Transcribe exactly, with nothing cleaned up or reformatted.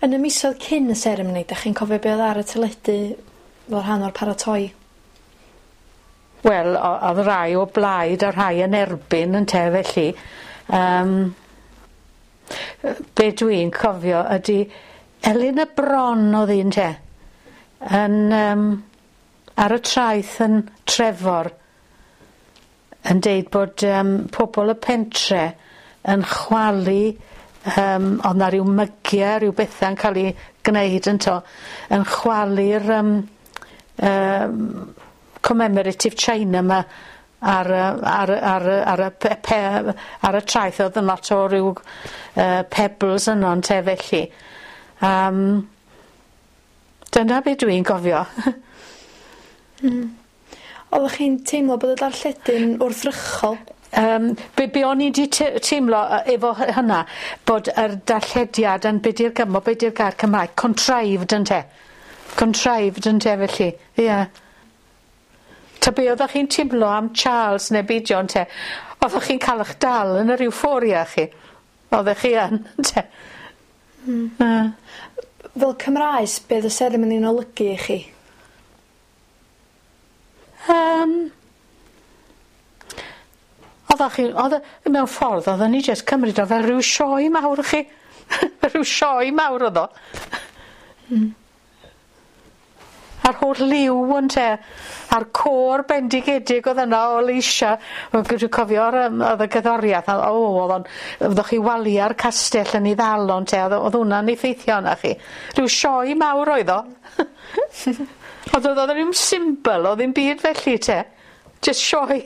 Yn y misoedd cyn y seremoni, dach chi'n cofio be oedd ar y teledu fel rhan o'r paratoi? Wel, o- o'dd rai o blaid a rhai yn erbyn ynte felly. Yym be' dwi'n cofio ydi Elin y Bron o'dd un te yn yym ar y traeth yn Trefor yn deud bod yym pobol y pentre yn chwalu yym o'dd 'na ryw mygie ryw bethe'n ca'l 'u gneud ynto yn chwalu'r yym yym commemorative china 'ma ar y ar y ar y ar y pe- pe- ar y traeth o'dd yn lot o ryw yy pebbles yno ynte felly. Yym dyna be' dwi'n gofio. Hmm. Oddech chi'n teimlo bod y darlledu'n wrthrychol? Yym be' be' o'n i 'di te- teimlo yy efo hy- hynna bod yr darllediad yn be' 'di'r gymo- be' 'di'r gair Cymraeg contrived ynte? Contrived ynte felly ie. Ta be' oddach chi'n timlo am Charles ne' beidio ynte? Oddach chi'n ca'l 'ych dal yn yr euphoria chi. Oddech chi yn ynte? Hmm. Yy. Fel Cymraes, be' o'dd y seremoni'n olygu i chi? Yym. Oddach chi o'dd e mewn ffordd odden ni jyst cymryd o fel ryw sioe mawr 'ych chi. Rhyw sioe mawr o'dd o. Hmm. A'r holl liw ynte? A'r côr bendigedig o'dd yna o leisia wel g- dwi cofio'r yym o'dd y gerddoriath a o o'dd o'n oddech chi walia'r castell yn 'i ddal o ynte o'dd o o'dd wnna'n effeithio arnach chi. Rhyw sioe mawr oedd o. Ond o'dd o ddim symbol o ddim byd felly 'te. Jyst sioe.